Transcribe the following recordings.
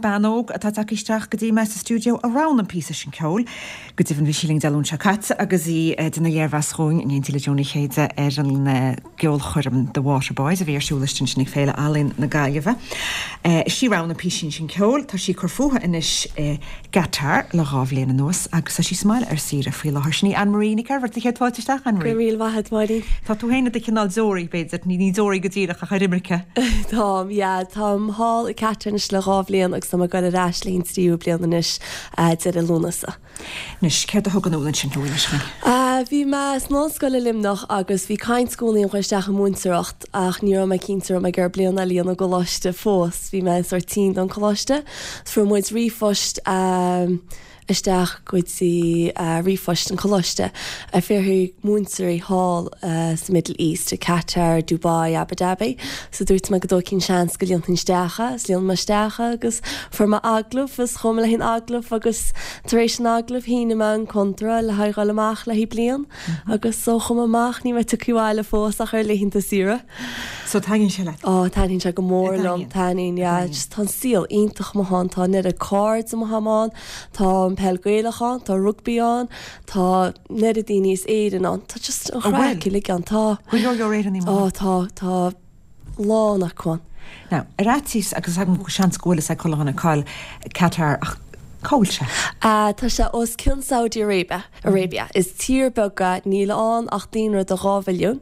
Bean óg atá tagtha isteach go dtí mé sa stiúideo a roghnaigh an píosa sin ceoil. Go deimhin bhí sí linn Dé Luain seo caite agus í ag déanamh léirmheas dhúinn in éindí le Joe Ní Chéide ar an gceolchoirm The Waterboys a bhí ar siúl istigh ansin ag Féile Ealaíon na Gaillimhe. Is í a roghnaigh an písín sin ceoil. Tá sí ag cur fúithi anois i gCatar le dha bhliain anuas agus tá sí sa mbaile ar saoire faoi láthair. Sin í Anne Marie Nic Oirmhirt. Céad fáilte isteach, Anne Marie. Go raibh míle maith agat, Máirín. Tá tú féin i do chineál deoraí, b'fhéidir. Ní deoraí go díreach ach ar imirce. Táim, yeah. Táim thall i gCatar anois le dha bhliain agus tá mé ag goil ar ais le haghaidh an tríú bliain anois deireadh Lúnasa. Anois, céard a thug anall ansin thú, inis dhúinn? Bhí mé san ollscoil i Luimneach agus bhí caint i gcónaí orm dhul isteach i múinteoireacht ach ní raibh mé cinnte raibh mé ag iarraidh bliain eile a dhéanamh i gcoláiste fós. Bhí mé sórt tinn don choláiste. Fuair muid ríomhphost isteach go dtí ríomhphost an choláiste ag fiafraí múinteoirí thall sa Middle East, i Qatar, Dubai, Abu Dhabi. So dúirt mé go dtógfainn seans go líonfainn isteach é, is líon mé isteach é agus fuair mé agallamh is chuaigh mé le haghaidh an agallaimh agus tar éis an agallaimh shínigh mé an conradh le haghaidh dhul amach le haghaidh bliain agus ó chuaigh mé amach níl mé tagtha abhaile fós ach ar laethanta saoire. So taitníonn sé leat? Ó taitníonn sé go mór liom, taitníonn, yeah. Just tá an saol iontach amuigh ann, tá an oiread cairde amuigh ann, tá an peil Gaelach ann, tá rugbaí ann, tá an oiread daoine as Éirinn ann, tá just an chraic uilig ann, tá. Go leor leor Éireannaigh amuigh ann. Ó tá, tá lán acu ann. Now, ar fhaitíos, agus agam seans go bhfuil fhios ag chuile dhuine cá bhfuil Qatar ach cá bhfuil sé? Tá sé os cionn Saudi Arabia, Arabia. Is tír beag é, níl ann ach daonra de 2 mhilliún.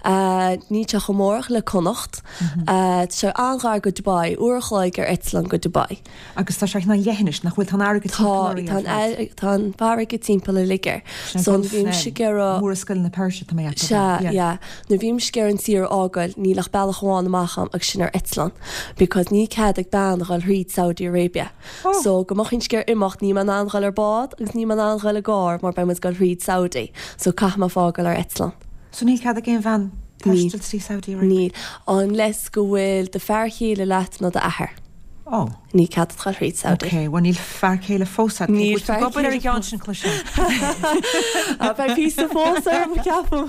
Níl sé chomh mór ach le Connacht. Tá sé an-ghar go Dubai, uair a chloig ar eitleán go Dubai. Agus tá sé ina leithinis, nach bhfuil? Tá an fharraige timpeall uirthi ar fad. Tá, tá an fharraige timpeall uilig air. Sin So nuair a bhímse ag iarraidh. Murascaill na Peirse, tá mé ag ceapadh. Sea, yeah. Nuair a bhímse ag iarraidh an tír a fhágáil, níl ach bealach amháin amach a'm agus sin ar eitleán. Because níl cead ag bean a dhul thríd Saudi Arabia. Oh. So go mbeinn ag iarraidh imeacht, níl mé in ann dhul ar bád agus níl mé in ann dhul i gcarr mar beidh muid ag dul thríd Saudi. So caithfidh mé fágáil ar eitleán. So níl cead ag aon bhean taisteal trí Saudi Arabia? Níl. Unless go bhfuil do fear chéile leat nó d'athair. Ó. Níl cead agat dhul thríd Saudi. Ok, bhuel níl fear céile fós agat. Níl fear céile fós. Obair ar an gceann sin cloisim. Beidh píosa fós orm, ceapaim.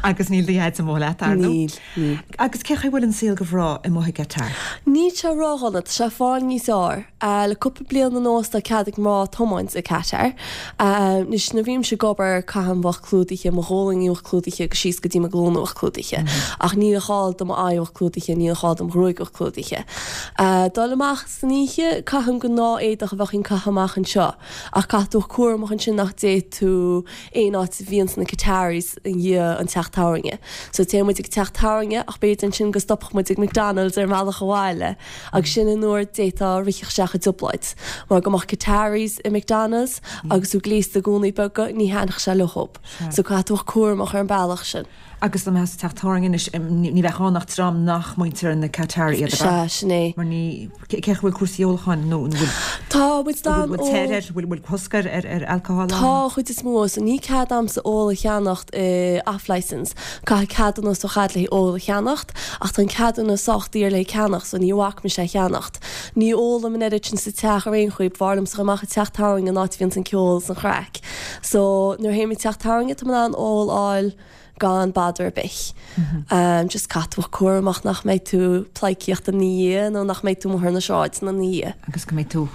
Agus níl do dhaid amuigh leat, ar ndóigh. Níl, níl. Agus cé chaoi bhfuil an saol go bhreá amuigh i gCatar? Níl sé ródhona, tá sé ag fáil níos fhearr. Le cúpla bliain anuas tá cead ag mná tiomáint i Qatar. Anois nuair a bhímse ag obair caithim bheith clúdaithe, mo ghualainní a bheith clúdaithe agus síos go dtí mo ghlúine a bheith clúdaithe. Ach níl a gá do m'aghaidh a bheith clúdaithe, níl a gá do mo ghruaig a bheith clúdaithe. Dul amach san oíche, caithim gnáth éadach a bheadh ag caitheamh amach anseo. Ach caithfidh tú bheith cúramach ansin nach dté tú aon áit a bhíonns na Qataris i ndiaidh an teach tábhairne. So téann muid ag teach tábhairne ach b'fhéidir ansin go stopfadh muid ag McDonald's ar an mbealach abhaile. Agus sin an uair d'fhéadfá rith isteach i dtrioblóid. Mar go mbeadh Qataris i McDonald's agus tú gléasta i gúnaí beaga, ní thaitneodh sé leob. So caithfidh tú bheith cúramach ar an bealach sin. Agus dá mbeifeá sa teach tábhairne anois, ní bheadh ann ach dream nach muintir na Qatari iad, ab ea? Sea, sin é. Mar ní, cé chaoi bhfuil cúrsaí ólacháin nó an bhfuil. Tá muid in ann ól. Bhfuil teir air, bhfuil cosc ar ar alcohol ann? Tá, chuid is mó. So ní cead a'msa ól a cheannacht i off licence. Caithfidh ceadúnas a bheith a'd le haghaidh ól a cheannacht, ach tá an ceadúnas sách daor le ceannacht, so ní bhac mise é a cheannacht. Ní ólaim an oiread sin sa teach ar aon chaoi, b'fhearr liomsa dhul amach ag teach tábhairne an áit a bhíonns an ceol is an chraic. So nuair a théim ag teach tábhairne tá mé in ann ól a fháil gan bother ar bith. Just caithfidh tú bheith cúramach nach mbeidh tú pleidhcíocht ina dhiaidh nó nach mbeidh tú amuigh ar na sráideanna ina dhiaidh. Agus go mbeidh tú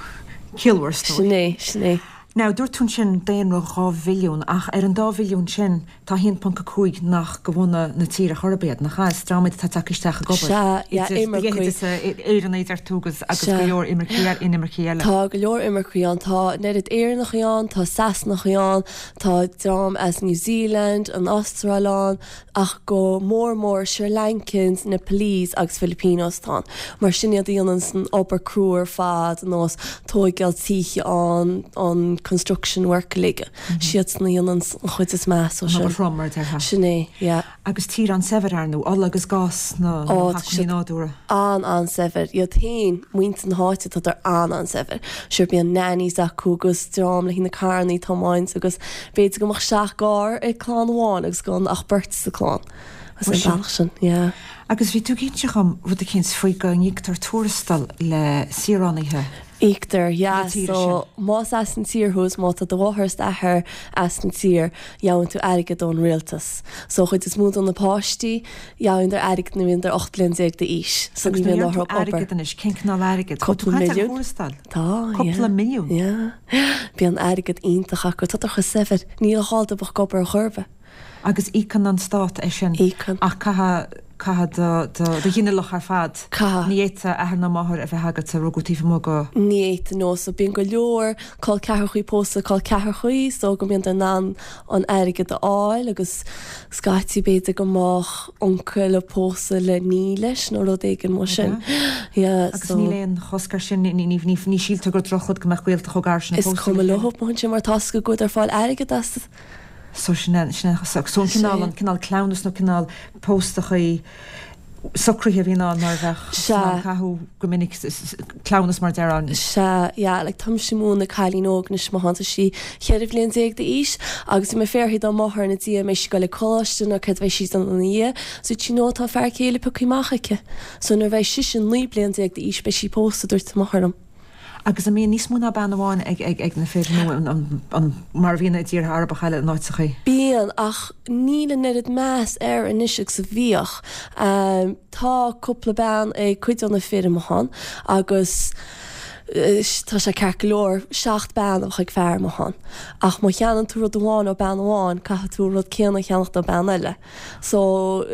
ciallmhar, is dóigh. Sin é, sin é. Now, dúirt tú ansin daonra 2 mhilliún, ach ar an dá mhilliún sin, tá 1.5 nach de bhunadh na tíre chor ar bith iad, nach ea? Is dream iad atá tagtha isteach ag obair. Sea, yeah, imircigh. Idir Éireannaigh, deir tú, agus agus go leor imircigh, inimircigh eile. Tá go leor imircigh ann. Tá an oiread Éireannachaí ann, tá Sasanachaí ann, tá dream as New Zealand, an Astráil ann, ach go mór mór Sri Lankans, Nepalese agus Filipinos atá ann. Mar sin iad a dhéananns an obair crua ar fad, ar nós tóigeáil tithe ann, an construction work uilig. Siadsan a dhéananns an chuid is measa An sin. obair throm, mar a déarfá. Sin é, yeah. Agus tír an-saibhir, ar ndóigh, ola agus gás na Ó, tá hacmhainní siad nádúrtha. an-an-saibhir. Iad féin, muintir na háite, tádar an-an-saibhir. Sure, bíonn nannies acu agus dream le haghaidh na carrannaí a tiomáint agus B'fhéidir go mbeadh seacht gcarr ag clann amháin agus gan ach beirt sa chlann. Agus an bealach sin, yeah. Agus bhí tú ag inse dhom rud eicínt faoi go n-íoctar tuarastal le saoránaithe Íoctar, yeah. na tíre sin. So, más as an tír thú is má tá do mháthair is d'athair as an tír, gheobhann tú airgead ón rialtas. So, chuid is mó de na páistí, gheobhann airgead nuair a bhíonn 18 bliain d'aois. So, ní bhíonn orthu obair. Airgead anois, cén cineál airgid? Cúpla milliún. Tuarastal? Tá, yeah. Cúpla milliún? Yeah. Bíonn airgead iontach acu. Tá chomh saibhir. Níl a dhá dóibh ag obair ar chor ar bith. Agus íocann an stát é sin? Íocann. Ach caithfidh, caithfidh do, do, do ghinealach ar fad. Caithfidh. Ní fhéadfadh athair ná máthair a bheith agat a rugadh taobh amuigh go. Ní fhéadfadh, no. So bíonn go leor col ceathrachaí pósta col ceathrachaí so go mbíonn in ann an airgead a fháil agus scaití b'fhéidir go mbeadh uncail ag pósadh le nia leis nó rud éigin mar sin. Yeah, Agus so. níl aon chosc air sin, ní, ní, ní, ní síltear gur drochrud go mbeadh gaolta chomh gar sin ag pósadh le chéile. Is cuma leo mar sin mar tá 's acu go bhfuil fáil airgead as. So sin é, sin é, so an cineál, an cineál cleamhnas nó cineál póstachaí socraithe a bhíonn ann mar a bheadh san am caitheadh go minic cleamhnas mar a déarfá. Sea, yeah, like táimse ag múineadh cailín óg anois má tá sí 14 bhliain d'aois agus bhí mé ag fiafraí dá máthair ina diaidh an mbeidh sí ag goil ag coláiste nó céard a bheidh sí ag déanamh ina dhiaidh. So dúirt sí no tá fear céile pioctha amach aici. So nuair a bheidh sise 19 bliain d'aois beidh sí pósta, dúirt a máthair liom. Agus an mbíonn níos mó ná bean amháin ag na fir nó an mar a bhíonn i dtíortha Arabacha eile in áiteachaí? Bíonn, ach níl an oiread meas air anois agus a bhíodh. Tá cúpla bean ag cuid de na fir amuigh ann agus tá sé ceart go leor seacht bean a bheadh ag fear amuigh ann. Ach má cheannaíonn tú rud amháin ó bean amháin, caithfidh tú an rud céanna a cheannacht ó bean eile. So,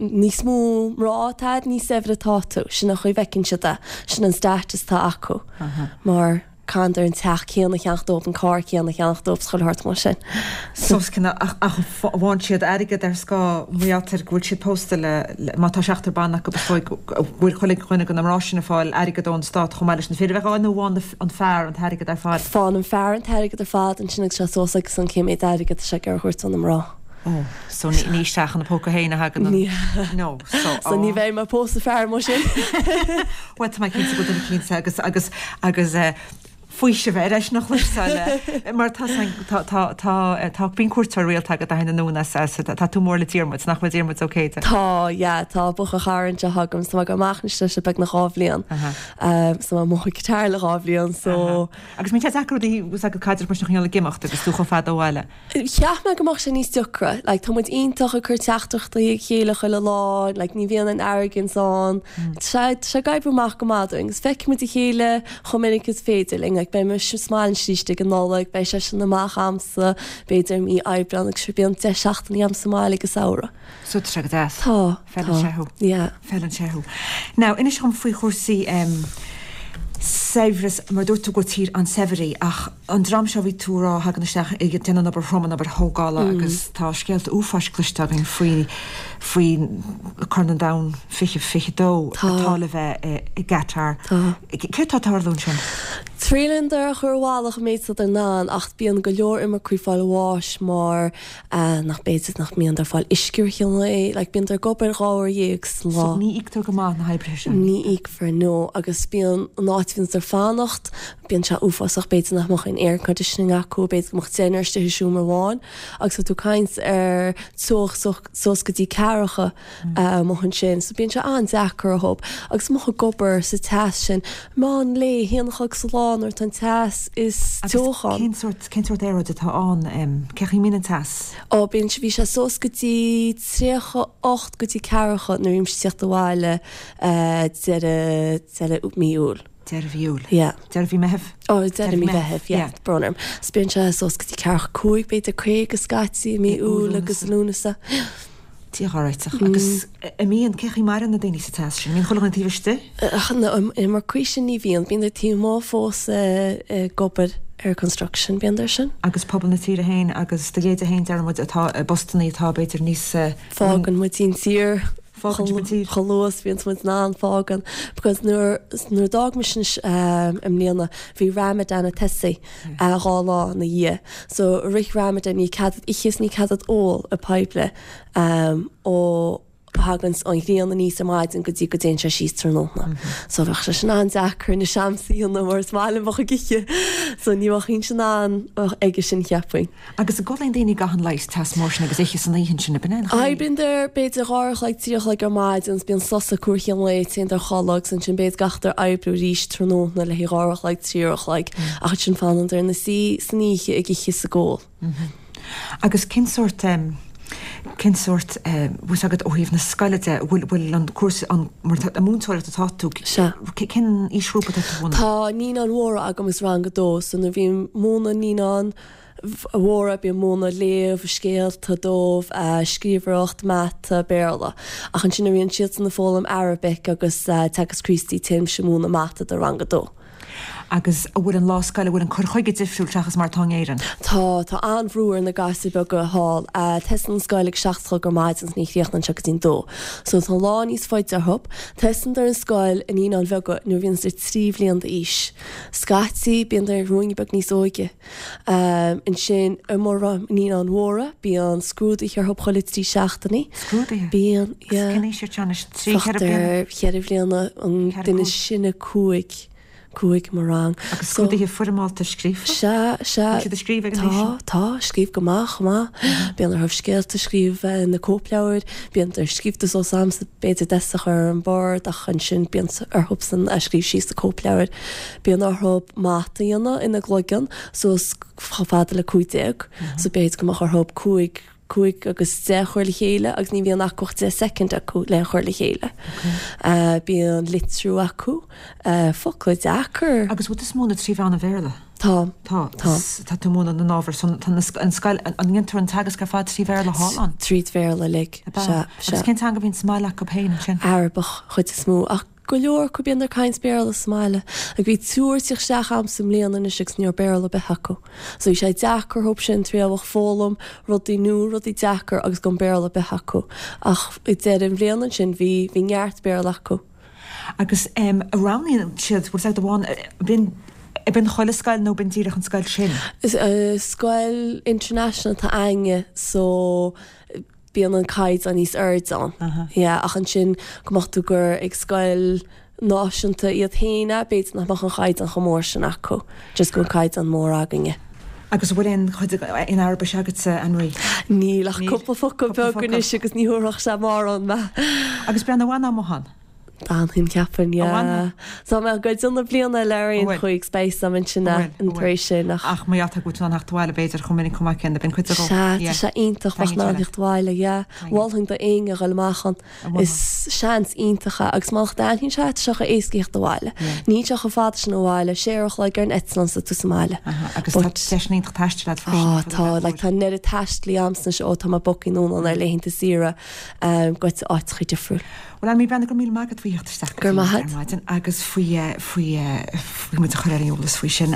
níos mó mná atá a'd, níos saibhre atá tú. Sin an chaoi a bhfeiceann siad é. Sin an status atá acu. Mar caithfidh an teach céanna a cheannacht dóibh, an carr céanna a cheannacht dóibh, is chuile shórt mar sin. So, ach, ach faigheann siad airgead ar scáth mar gheall ar go bhfuil siad pósta le, le, má tá seachtar ban acu is dóigh go bhfuil chuile dhuine de na mná sin ag fáil airgead ón stát chomh maith leis na fir a bheith á fháil nó faigheann an fear an t-airgead ar fad? Faigheann an fear an t-airgead ar fad ansin agus sé suas aige san cé méid airgead atá sé ag iarraidh a thabhairt do na mná. Oh, so ní isteach ina póca féin a thagann an... No, so... So ní bheidh mé ag pósadh fear mar sin. Bhuel, tá mé cinnte go bhfuil duine cinnte agus, agus, agus eh, faoiseamh ar eisean a chloisteáil eh, mar tá tá, tá, tá, eh, tá, bíonn cuairteoir rialta agat a thagann anonn as, as, tá tú mór le Diarmuid, nach bhfuil Diarmuid Ó Céide? Tá, yeah, tá buachaill-chara anseo agam, so tá mé ag dul amach anois leis le beagnach dhá bhliain. Um, so tá mé amuigh ag guitar le dhá bhliain, so... Agus mbíonn sé deacair rudaí, agus caidreamh mar sin a choinneáil ag imeacht agus tú chomh fada ó bhaile. Cheap mé go mbeadh sé níos deacra. Like, tá muid iontach ag cur teachtaireachtaí ag chéile chuile lá, like, ní bhíonn aon arrogance ann. Tá sé, tá sé ag oibriú amach go maith dúinn agus feicfidh muid a chéile chomh minic is féidir linn. Like, beidh mise sa mbaile arís ag an Nollaig, beidh seisean amach a'msa, b'fhéidir i mí Aibreán agus sure bíonn 10 seachtainí a'm sa mbaile ag an samhradh. So tá sé go deas. Tá, Feileann tá. sé thú. Yeah. Feileann sé thú. Now, inis dhom faoi chúrsaí em saibhreas, mar dúirt tú gur tír an-saibhir í, ach an dream seo a bhí tú a rá a thagann isteach ag déanamh an obair throm, an obair thógála agus tá scéalta uafáis cloiste againn faoi, faoi Corn an Domhain 2022 Tá. atá le bheith i, i gCatar. Tá. Céard tá ag tarlú ansin? Triaileann dar a chur abhaile chomh méid is atá in ann ach bíonn go leor imircigh fáil bháis mar nach b'fhéidir nach mbíonn ag fáil uisce ar an lae, like bíonn ag obair 12 uair sa lá. So ní íoctar go maith na hoibrithe sin? Ní íocfar, no, agus bíonn an áit a bhíonn siad ag fanacht, bíonn sé uafásach, b'fhéidir nach mbeadh aon air conditioning acu, b'fhéidir go mbeadh deichniúr istigh i seomra amháin agus tá tú ag caint ar teocht suas go dtí ceathracha amuigh ansin, so bíonn sé an-deacair orthu agus amuigh ag obair sa teas sin, meán lae, a haon a chlog sa lá nuair atá an teas is teocha ann. Cén sórt, cén sórt aeráid atá ann? Cé chaoi a mbíonn an teas? Ó, bíonn sé, bhí sé suas go dtí 38 go dtí ceathracha nuair a bhí mise ag tíocht abhaile deireadh, deireadh mí Iúil. Deireadh mhí Iúil. Yeah. Deireadh mhí Meitheamh? Ó, deireadh mí Mheitheamh, yeah. Brón orm. So bíonn sé suas go dtí ceathracha cúig, b'fhéidir 50 scaití i mí Iúil agus Lúnasa. Dia ár réiteach. Agus an mbíonn, cé chaoi a maireann na daoine sa teas sin? An mbíonn chuile dhuine taobh istigh? Na imircigh sin ní bhíonn. Bíonn taobh amuigh fós ag obair ar construction, bíonn ar sin. Agus pobal na tíre féin agus do leithéide féin, deir muid, atá i bpostannaí atá b'fhéidir níos. Fágann muid an tír. Fágann sibh an tír. Chomh luath is bhíonns muid in ann fágann because nuair nuair d'fhág mise anois i mbliana bhí Ramadan ag tosaí dhá lá ina dhiaidh. So i rith Ramadan ní cead duit ithe is ní cead duit ól i poiblí ó. thaganns an ghrian aníos ar maidin go dtí go dtéann sé síos tráthnóna. So bheadh sé sin an-deacair anois a'msa a dhéanamh mar is maith liom bheith ag ithe. So ní bheinn in ann aige sin cheapfainn. Agus an gcodlaíonn daoine i gcaitheamh an lae sa teas mór sin agus ithe san oíche ansin, ab in é an chaoi? Oibríondar b'fhéidir 2 a chloig, 3 a chloig ar maidin agus bíonn sos acu ar cheann lae, téandar a chodladh agus ansin b'fhéidir gabhadar oibriú arís tráthnóna le haghaidh 2 a chloig, 3 a chloig ach ansin fanandar ina suí san oíche ag ithe is ag ól. Agus cén sórt, cén sórt, bhfuil fhios agat ó thaobh na scoile de, bhfuil, bhfuil an cúrsa, an, mar tá, múinteoireacht atá tú, Sea. cén aoisghrúpa atá tú a mhúineadh? Tá naíonáin mhóra agam agus rang a dó, so nuair a bhím ag múineadh naíonáin mhóra, bím ag múineadh léamh, scéalta dóibh, scríbhneoireacht, mata, Béarla. Ach ansin nuair a bhíonn siadsan ag foghlaim Arabic agus Teagasc Críostaí, téimse ag múineadh mata do rang a dó. Agus an bhfuil an lá scoile, an bhfuil an cur chuige difriúil seachas mar atá in Éirinn? Tá, tá an-bhrú ar na gasúir beaga thall. Tosaíonn an scoil ag 7 a chlog ar maidin agus ní chríochnaíonn sé go dtí'n dó. So tá an lá níos faide orthu. Tosaíondar an scoil i Naíonáin Bheaga nuair a bhíonn siad 3 bhliain d'aois. Scaití bíondar ruainne beag níos óige. Ansin i mo Naíonáin Mhóra bíonn scrúduithe orthu chuile 3 seachtainí. Scrúduithe? Bíonn, yeah. Cén aois iad seo anois? 3, 4 bliana? Cheithre bhliana, an duine is sine 5. 5 i mo rang. Agus scrúduithe foirmeálta scríofa? Sea, sea. Bhfuil siad ag scríobh ag an aois sin? Tá, tá, scríobh go maith, chomh maith. Bíonn orthu scéalta a scríobh na cóipleabhair, bíonn ar scríobhta suas a'msa b'fhéidir deasc a chur ar an bord ach ansin bíonn orthubsan a scríobh síos sa cóipleabhair. Bíonn orthu mata a dhéanamh ina gcloigeann suas chomh fada le 15, so b'fhéidir go mbeadh orthu 5, 5 agus 10 a chur le chéile agus ní bhíonn acu ach 10 soicind acu le chur le chéile. Bíonn litriú acu, focla deacair. Agus bhfuil tú ag múineadh trí mheán an Bhéarla? Tá. Tá. Tá. Tá tú ag múineadh na n-ábhar san, tá an scoil, an ndéantar an teagasc ar fad trí Bhéarla thall ann? Tríd Bhéarla uilig, sea, sea. Agus cén teanga a bhíonn sa mbaile acu féin ansin? Arabach, chuid is mó, ach Go leor acu bíonn ag caint Béarla sa mbaile. Like bhí triúr ag tíocht isteach a'msa i mbliana anois agus ní raibh Béarla ar bith acu. So bhí sé deacair dhób sin tar éis foghlaim rudaí nua, rudaí deacair agus gan Béarla ar bith acu. Ach ag deireadh an bhliana ansin bhí, bhí neart Béarla acu. Agus em roghnaíonn siad, bhfuil fhios agat amháin, bíonn, bíonn chuile scoil nó bíonn díreach an scoil sin? Scoil international atá a'inne so bíonn an caighdeán níos airde ann. Yeah, ach ansin go mbeadh tú gur ag scoil náisiúnta iad féin é, b'fhéidir nach mbeadh an chaighdeán chomh mór sin acu, just go bhfuil caighdeán mór againne. Agus an bhfuil aon chuid in Araibis agatsa, Anne-Marie? Níl ach cúpla focal beag anois agus ní thabharfadh sé mórán mé. Agus breathnaigh, an bhfanfá amuigh ann? D'fhanfainn, cheapfainn, yeah. Tá mé ag goil déanamh bliain eile ar aon chaoi agus beidh 'fhios a'm ansin an tar éis sin ach. Ach mar gheall go bhfuil tú in ann theacht abhaile b'fhéidir chomh minic chomh maith céanna, bíonn cuid de Sea, tá sé iontach bheith in ann theacht abhaile, yeah. Mholfainn do éinne a dhul amach ann. Is seans iontach é agus má thaitníonn sé, tá sé chomh éasca theacht abhaile. Níl sé chomh fada sin ó bhaile, sé uair a chloig ar an eitleán is tá tú sa mbaile. Agus tá deiseanna iontach taistil agat freisin. Á, tá, like tá an oiread taistil a'msa anois ó tá mé bogtha anonn ar laethanta saoire go áiteacha difriúil. Bhuel, Anne-Marie Breathnach, go raibh míle maith agat faoi theacht isteach go dtí ar maidin agus faoi faoi faoi muid a chur ar an eolas faoi sin.